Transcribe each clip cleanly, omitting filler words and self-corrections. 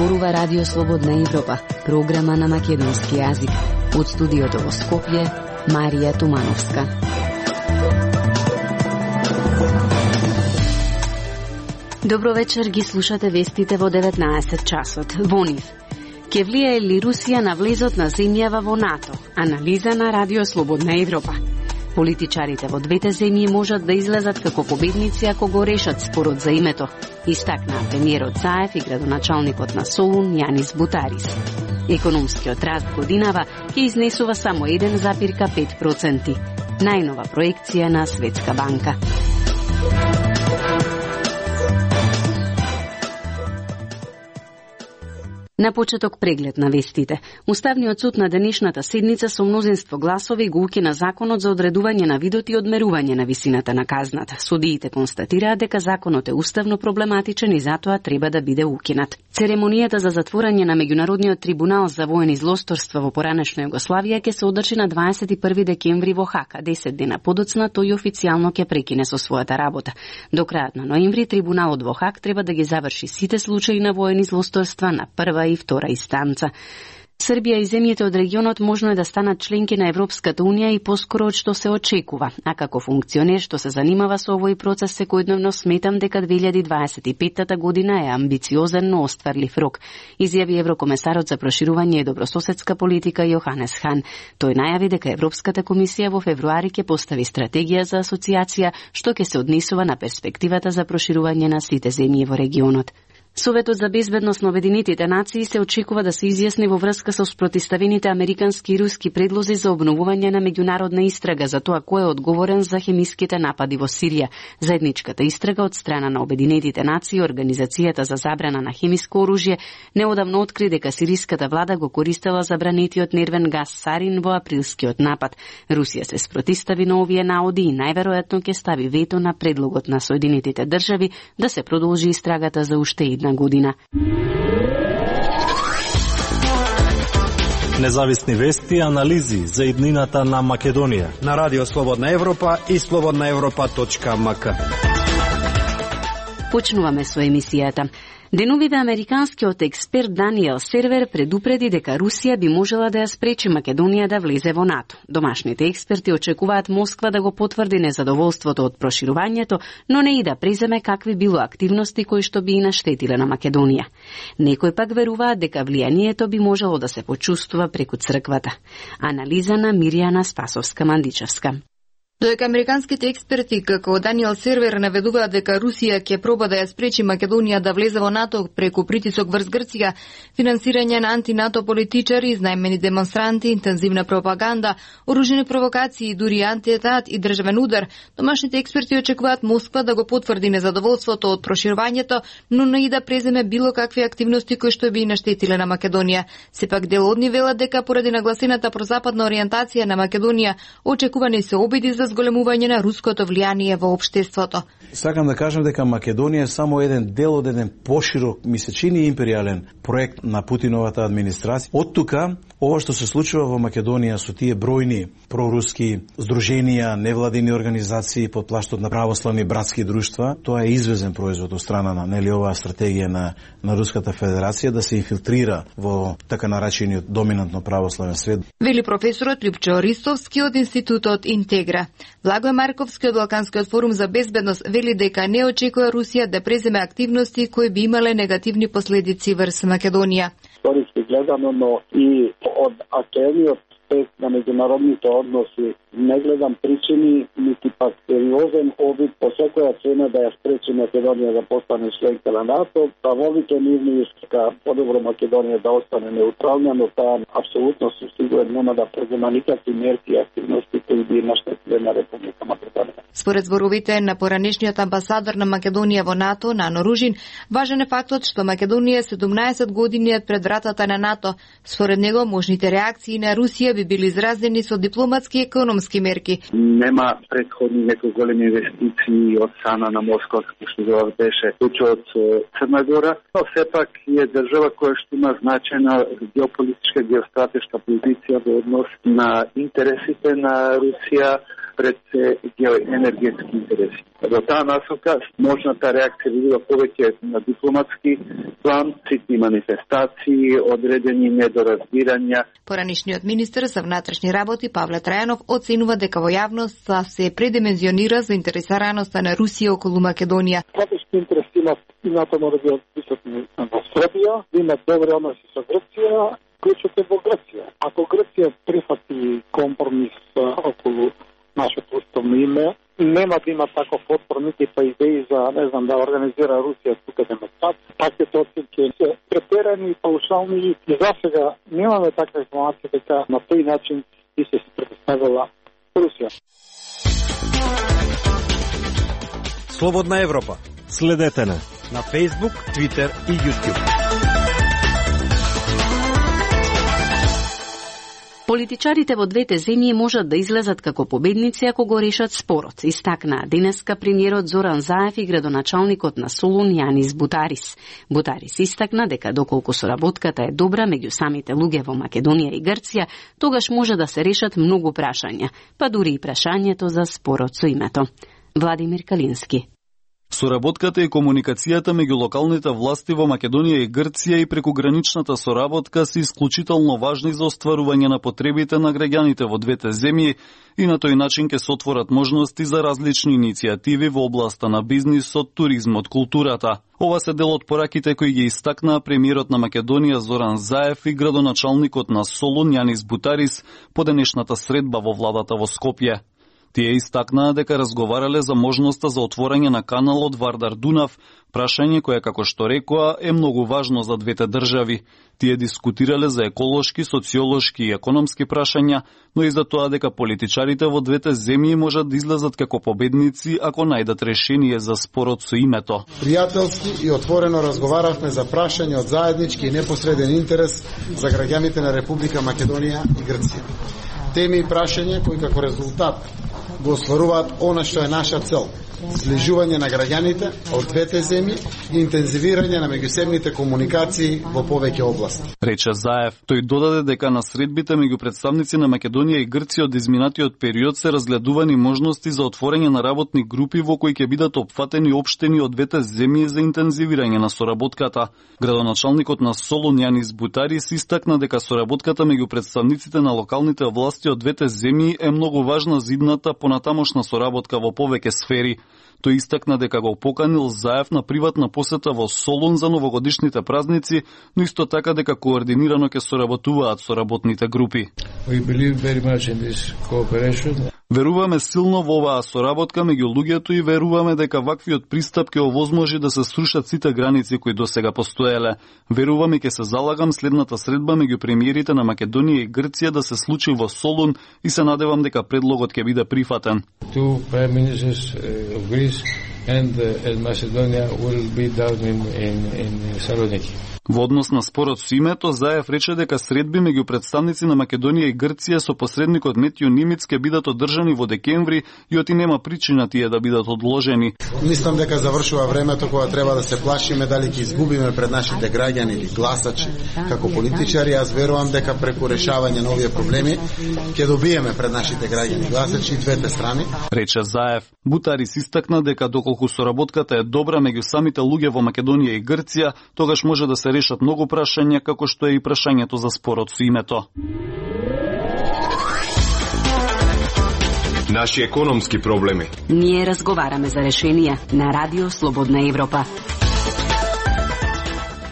зборува Радио Слободна Европа, програма на македонски јазик. Од студиото во Скопје, Марија Тумановска. Добро вечер, ги слушате вестите во 19 часот. Во нив. Ке влијае ли Русија на влезот на земјава во НАТО? Анализа на Радио Слободна Европа. Политичарите во двете земји можат да излезат како победници ако го решат спорот за името, истакна премиерот Заев и градоначалникот на Солун Јанис Бутарис. Економскиот раст годинава ќе изнесува само 1,5%. Најнова проекција на Светска банка. На почеток преглед на вестите. Уставниот суд на денешната седница со мнозинство гласови го укина законот за одредување на видот и одмерување на висината на казната. Судиите констатираат дека законот е уставно проблематичен и затоа треба да биде укинат. Церемонијата за затворање на Меѓународниот трибунал за воени злосторства во поранешна Југославија ќе се одржи на 21 декември во Хак, 10 дена подоцна тој официјално ќе прекине со својата работа. До крајот на ноември трибуналот во Хак треба да ги заврши сите случаи на воени злосторства на прва и втора инстанца. Србија и земјите од регионот можно е да станат членки на Европската Унија и поскоро од што се очекува. А како функционер што се занимава со овој процес секојдневно сметам дека 2025 година е амбициозен, но остварлив рок, изјави еврокомесарот за проширување и добрососедска политика Јоханес Хан. Тој најави дека Европската комисија во февруари ќе постави стратегија за асоциација што ќе се однесува на перспективата за проширување на сите земји во регионот. Советот за безбедност на Обединетите нации се очекува да се изјасни во врска со спротиставените американски и руски предлози за обновување на меѓународна истрага за тоа кој е одговорен за хемиските напади во Сирија. Заедничката истрага од страна на Обединетите нации и Организацијата за забрана на хемиско оружје неодамно откри дека сириската влада го користела забранетиот нервен гас сарин во априлскиот напад. Русија се спротистави на овие наоди и најверојатно ќе стави вето на предлогот на Соединетите држави да се продолжи истрагата за уште една година. Независни вести и анализи за иднината на Македонија на Радио Слободна Европа и slobodnaevropa.mk. Почнуваме со емисијата. Деновиве американскиот експерт Даниел Сервер предупреди дека Русија би можела да ја спречи Македонија да влезе во НАТО. Домашните експерти очекуваат Москва да го потврди незадоволството од проширувањето, но не и да преземе какви било активности кои што би и наштетиле на Македонија. Некои пак веруваат дека влијанието би можело да се почувствува преку црквата. Анализа на Миријана Спасовска-Мандичевска. Додека американските експерти како Даниел Сервер наведуваат дека Русија ќе проба да ја спречи Македонија да влезе во НАТО преку притисок врз Грција, финансирање на анти-НАТО политичари, изнајмени демонстранти, интензивна пропаганда, оружени провокации, дури антиетат и државен удар, домашните експерти очекуваат Москва да го потврди незадоволството од проширувањето, но не и да преземе било какви активности кои што би наштетиле на Македонија. Сепак дел од нив велат дека поради нагласената прозападна ориентација на Македонија очекувани се обиди за зголемување на руското влијание во општеството. Сакам да кажам дека Македонија е само еден дел од еден поширок, ми се чини империјален проект на Путиновата администрација. Од тука, ова што се случува во Македонија со тие бројни проруски здруженија, невладини организации под плаштот на православни братски друштва, тоа е извезен производ од страна на оваа стратегија на Руската Федерација да се инфилтрира во така наречениот доминантно православен свет. Вели професорот Лјупчо Ристовски од Институтот Интегра. Благој Марковски од Балканскиот форум за безбедност вели дека не очекува Русија да преземе активности кои би имале негативни последици врз Македонија. Историски гледано, но и од актуелниот аспект на меѓународните односи не гледам причини, нити пак сериозен обид по секоја цена да ја спречи Македонија да постане членка на НАТО. Правовите нивни иска подобро Македонија да остане неутрална, но таа апсолутно се сигурен нема да презема никакви мерки и активности кои би наштетиле на Република Македонија. Според зборовите на поранешниот амбасадор на Македонија во НАТО, Нано Ружин, важен е фактот што Македонија е 17 години пред вратата на НАТО. Според него, можните реакции на Русија би били изразени со дипломатски и економски мерки. Нема претходни некои големи инвестиции од страна на Москва, што беше случајот со Црна Гора, но сепак е држава која што има значајна геополитичка, геостратешка позиција во однос на интересите на Русија пред енергетски интереси. Во таа насока, можната реакција би била повеќе на дипломатски план, ситни манифестации, одредени недоразбирања. Поранишниот министер за внатрешни работи Павле Трајанов оценува дека во јавноста се предимензионира заинтересираноста на Русија околу Македонија. Стратешки интереси и НАТО мора да бидат присутни во Србија, да имат добри односи со Грција, клучот е во Грција. Ако Грција прифати компромис околу нашето уставно име, нема да има таков отпор, нити па идеи за, не знам, да организира Русија тука демонстрација. Пакет оценки се претерани и паушални и за сега немаме таква информација дека на тој начин би се предоставила Русија. Слободна Европа. Следете не на Facebook, Twitter и YouTube. Политичарите во двете земји можат да излезат како победници ако го решат спорот, истакнаа денеска премиерот Зоран Заев и градоначалникот на Солун Јанис Бутарис. Бутарис истакна дека доколку соработката е добра меѓу самите луѓе во Македонија и Грција, тогаш може да се решат многу прашања, па дури и прашањето за спорот со името. Владимир Калински. Соработката и комуникацијата меѓу локалните власти во Македонија и Грција и прекуграничната соработка се исклучително важни за остварување на потребите на граѓаните во двете земји и на тој начин ќе се отворат можности за различни иницијативи во областа на бизнисот, туризмот, културата. Ова се дел од пораките кои ги истакнаа премиерот на Македонија Зоран Заев и градоначалникот на Солун Јанис Бутарис по денешната средба во владата во Скопје. Тие истакнаа дека разговарале за можноста за отворање на каналот Вардар-Дунав, прашање кое, како што рекоа, е многу важно за двете држави. Тие дискутирале за еколошки, социолошки и економски прашања, но и за тоа дека политичарите во двете земји можат да излезат како победници ако најдат решение за спорот со името. Пријателски и отворено разговаравме за прашање од заеднички и непосреден интерес за граѓаните на Република Македонија и Грција. Теми и прашања кои како резултат го остваруваат она што е наша цел – зближување на граѓаните од двете земји и интензивирање на меѓусебните комуникации во повеќе области. Рече Заев. Тој додаде дека на средбите меѓу представници на Македонија и Грција од изминатиот период се разгледувани можности за отворање на работни групи во кои ќе бидат опфатени општени од двете земји за интензивирање на соработката. Градоначалникот на Солун Јанис Бутарис истакна дека соработката меѓу представниците на локалните власти од двете земји е многу важна за идната понатамошна соработка во повеќе сфери. Тој истакна дека го поканил Заев на приватна посета во Солун за новогодишните празници, но исто така дека координирано ќе соработуваат со работните групи. Веруваме силно во оваа соработка меѓу луѓето и веруваме дека ваквиот пристап ќе овозможи да се срушат сите граници кои досега постоеле. Верувам и ќе се залагам следната средба меѓу премиерите на Македонија и Грција да се случи во Солун и се надевам дека предлогот ќе биде прифатен. And Macedonia will be down in Saloniki. Во однос на спорот со името, Заев рече дека средби меѓу представници на Македонија и Грција со посредникот Метјо Нимиц ќе бидат одржани во декември и оти нема причина тие да бидат одложени. Мислам дека завршува времето кога треба да се плашиме дали ќе изгубиме пред нашите граѓани или гласачи како политичари. Аз верувам дека преку решавање на овие проблеми ќе добиеме пред нашите граѓани гласачи и двете страни. Рече Заев. Бутарис истакна дека доколку соработката е добра меѓу самите луѓе во Македонија и Грција, тогаш може да се решат многу прашања, како што е и прашањето за спорот со името. Наши економски проблеми. Ние разговараме за решенија на Радио Слободна Европа.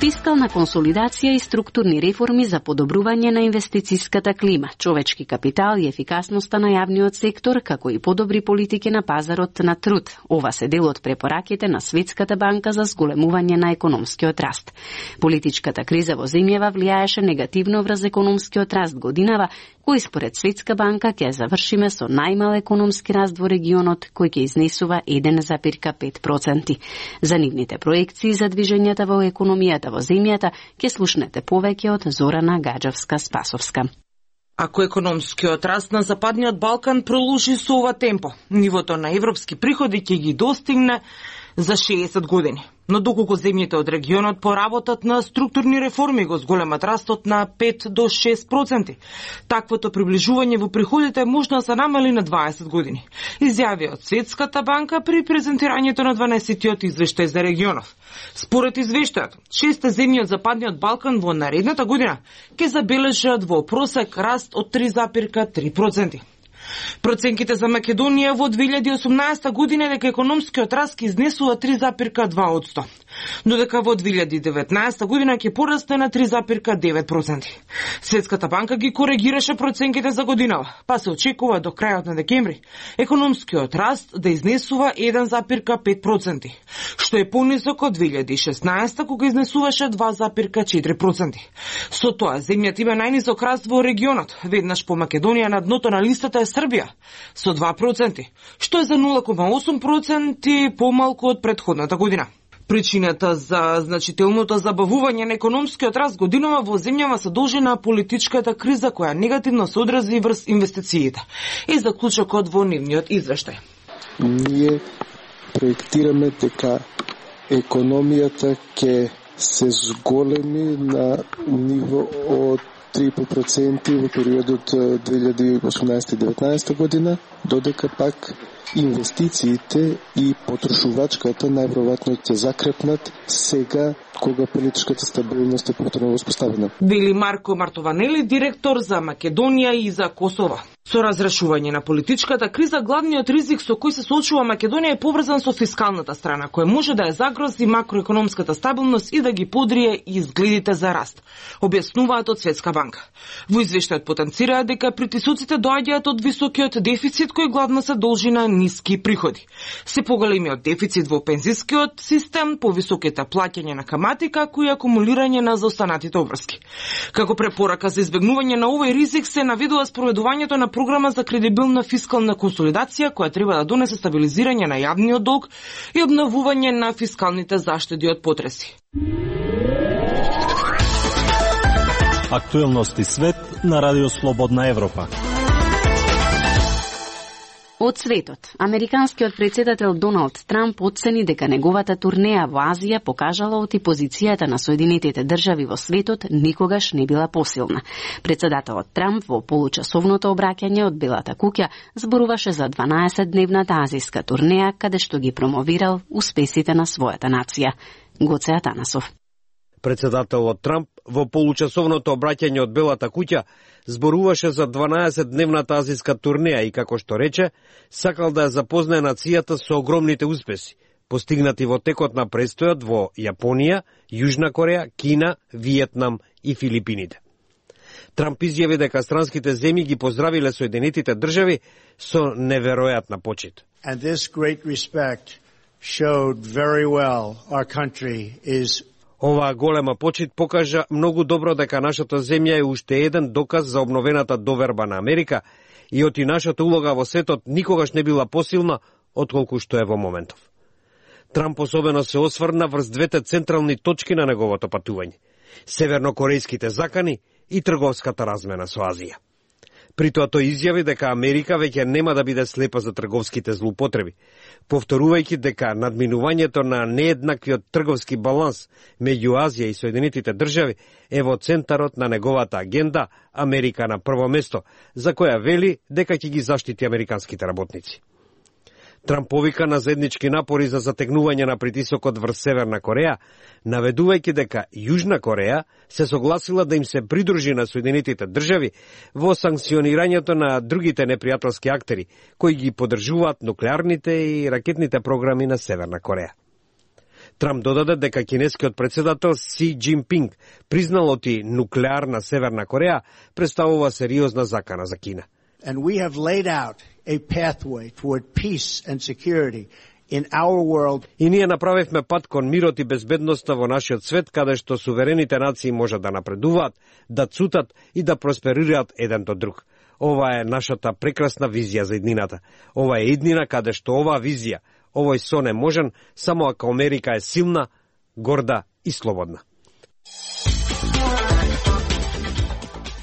Фискална консолидација и структурни реформи за подобрување на инвестициската клима, човечки капитал и ефикасноста на јавниот сектор, како и подобри политики на пазарот на труд. Ова се дел од препораките на Светската банка за зголемување на економскиот раст. Политичката криза во земјава влијаеше негативно врз економскиот раст годинава, кој според Светска банка ќе завршиме со најмал економски раст во регионот, кој ќе изнесува 1,5%. За нивните проекции за движењата во економијата во земјата ќе слушнете повеќе од Зорана Гаджевска-Спасовска. Ако економскиот раст на Западниот Балкан продолжи со ова темпо, нивото на европски приходи ќе ги достигне за 60 години. Но доколку земјите од регионот поработат на структурни реформи, го зголемат растот на 5 до 6%. Таквото приближување во приходите можно да се намали на 20 години. Изјави од Светската банка при презентирањето на 12-тиот извештај за регионов. Според извештајот, 6 земји од Западниот Балкан во наредната година ќе забележат во просек раст од 3,3%. Проценките за Македонија во 2018 година дека економскиот раст изнесува 3,2%, додека во 2019 година ќе порасне на 3,9%. Светската банка ги коригираше проценките за годинава, па се очекува до крајот на декември економскиот раст да изнесува 1,5%, што е понисок од 2016 кога изнесуваше 2,4%. Со тоа земјата има најнисок раст во регионот, веднаш по Македонија на дното на листата е Србија со 2%, што е за 0,8% помалку од претходната година. Причината за значителното забавување на економскиот раст годинава во земјава се должи на политичката криза која негативно се одрази врз инвестициите. И заклучокот во нивниот извештај. Ние проектираме дека економијата ќе се зголеми на ниво од 3,5% во периодот 2018-2019 година, додека пак инвестициите и потрошувачката најверојатно ќе закрепнат сега кога политичката стабилност е повторно воспоставена. Вели Марко Мартованели, директор за Македонија и за Косово. Со разрешување на политичката криза, главниот ризик со кој се соочува Македонија е поврзан со фискалната страна, која може да ја загрози макроекономската стабилност и да ги подрие изгледите за раст, објаснуваат од Светска банка. Во извештајот потенцираат дека притисоците доаѓаат од високиот дефицит кој главно се должи на ниски приходи. Се поголемиот дефицит во пензискиот систем, повисоките плаќања на камати, како и акумулирање на заостанатите обврски. Како препорака за избегнување на овој ризик се наведува спроведувањето на програма за кредибилна фискална консолидација која треба да донесе стабилизирање на јавниот долг и обновување на фискалните заштеди од потреси. Актуелности свет на Радио Слободна Европа. Од светот, американскиот председател Доналд Трамп оцени дека неговата турнеја во Азија покажала оти позицијата на Соединетите држави во светот никогаш не била посилна. Председателот Трамп во получасовното обраќање од Белата куќа зборуваше за 12-дневната азијска турнеја каде што ги промовирал успесите на својата нација. Гоце Атанасов. Председателот Трамп во получасовното обраќање од Белата куќа зборуваше за 12-дневната азијска турнеја и, како што рече, сакал да ја запознае нацијата со огромните успеси, постигнати во текот на престојот во Јапонија, Јужна Кореја, Кина, Виетнам и Филипините. Трамп изјави дека странските земји ги поздравиле Соединетите држави со неверојатна почит. And this great respect showed very well our country is Оваа голема почит покажа многу добро дека нашата земја е уште еден доказ за обновената доверба на Америка и оти нашата улога во светот никогаш не била посилна отколку што е во моментов. Трамп особено се осврна врз двете централни точки на неговото патување – севернокорејските закани и трговската размена со Азија. При тоа тој изјави дека Америка веќе нема да биде слепа за трговските злоупотреби, повторувајќи дека надминувањето на нееднаквиот трговски баланс меѓу Азија и Соединетите држави е во центарот на неговата агенда Америка на прво место, за која вели дека ќе ги заштити американските работници. Трамп повика на заеднички напори за затегнување на притисокот врз Северна Кореја, наведувајќи дека Јужна Кореја се согласила да им се придружи на Соединетите држави во санкционирањето на другите непријателски актери, кои ги поддржуваат нуклеарните и ракетните програми на Северна Кореја. Трамп додаде дека кинескиот председател Си Џинпинг признал оти нуклеарна Северна Кореја представува сериозна закана за Кина. And we have laid out a pathway toward peace and security in our world. И ние направивме пат кон мирот и безбедноста во нашиот свет, каде што суверените нации можат да напредуваат, да цутат и да просперираат еден до друг. Ова е нашата прекрасна визија за иднината. Ова е иднина каде што оваа визија, овој сон е можен само ако Америка е силна, горда и слободна.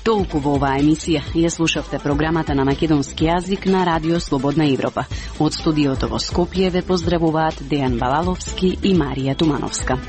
Толку во оваа емисија. Ја слушавте програмата на македонски јазик на Радио Слободна Европа. Од студиото во Скопје ве поздравуваат Дејан Балаловски и Марија Тумановска.